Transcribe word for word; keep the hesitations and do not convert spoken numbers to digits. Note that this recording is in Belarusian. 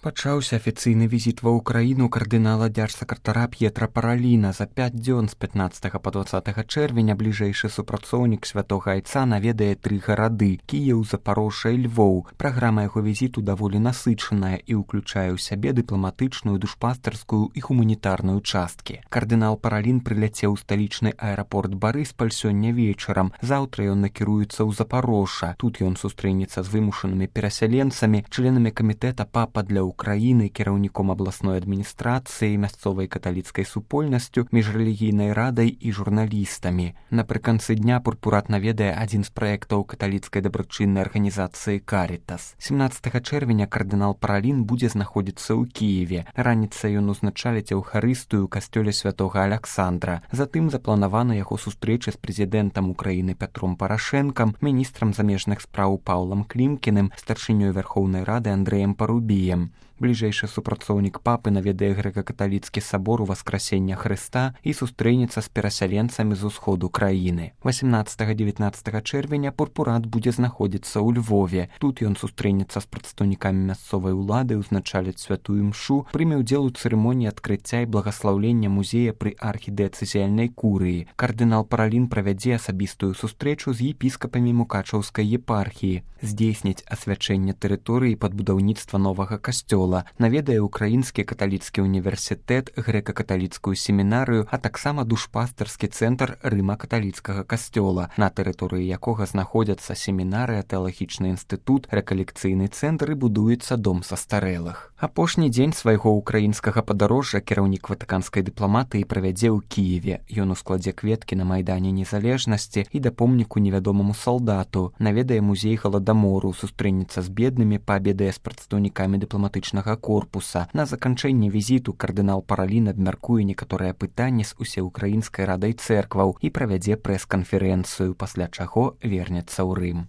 Пачаўся афіцыйны візіт ва ўкраіну кардынала дзяржсакратара П'етра Параліна. За пяць дзён з пятнаццатага па дваццатага чэрвеня бліжэйшы супрацоўнік святога айца наведае тры гарады – Кіеў, Запарожжа і Львоў. Праграма яго візіту даволі насычаная і ўключае ў сябе дыпламатычную, душпастарскую і гуманітарную часткі. Кардынал Паралін прыляцеў у сталічны аэрапорт Барыспаль сёння вечарам. Заўтра ён накіруецца ў Запарожжа. Тут ён сустрэнецца з вымушанымі перасяленцамі, членамі камітэта папа для Украіны, кіраўніком абласной адміністрацыі, мясцовай каталіцкай супольнасцю, міжрэлігійнай радай і журналістамі. Напрыканцы дня пурпурат наведае адзін з праектаў каталіцкай дабрачыннай арганізацыі «Карітас». семнаццатага чэрвеня кардынал Паралін будзе знаходзіцца ў Кіеве. Раніцай ён узначаліць эўхарыстыю ў касцёле святога Аляксандра. Затым запланавана яго сустрэча з прэзідэнтам Украіны Пятром Парашэнкам, міністрам замежных спраў Паўлам Клімкіным, старшынёй Вярхоўнай Рады Андрэем Парубіем. Бліжэйшы супрацоўнік папы наведае грэка-каталіцкі сабор Уваскрасення Хрыста і сустрэнецца з перасяленцамі з усходу краіны. васемнаццатага-дзевятнаццатага чэрвеня пурпурат будзе знаходзіцца ў Львове. Тут ён сустрэнецца з прадстаўнікамі мясцовай улады, узначаліць святую імшу, прыме ўдзел у цырымоніі адкрыцця і благаслаўлення музея пры архідыяцэзіяльнай курыі. Кардынал Паралін правядзе асабістую сустрэчу з епіскапамі Мукачаўскай епархіі, здзейсніць асвячэнне тэрыторыі пад будаўніцтва новага касцёла, наведае Украінскі каталіцкі універсітэт, грэка-каталіцкую семінарыю, а таксама душпастарскі цэнтр рыма-каталіцкага касцёла, на тэрыторыі якога знаходзяцца семінарыя, тэалагічны інстытут, рэкалекцыйны цэнтр і будуецца дом састарэлых. Апошні дзень свайго украінскага падарожжа кіраўнік ватыканскай дыпламатыі правядзе ў Кіеве. Ён ускладзе кветкі на майдане незалежнасці і да помніку невядомаму салдату, наведае музей Галадамору, сустрэнецца з беднымі, паабедае з прадстаўнікамі дыпламатычнага корпуса. На заканчэнне візіту кардынал Паралін абмяркуе некаторыя пытанні з усеўкраінскай радай цэркваў і правядзе прэс-канферэнцыю, пасля чаго вернецца ў Рым.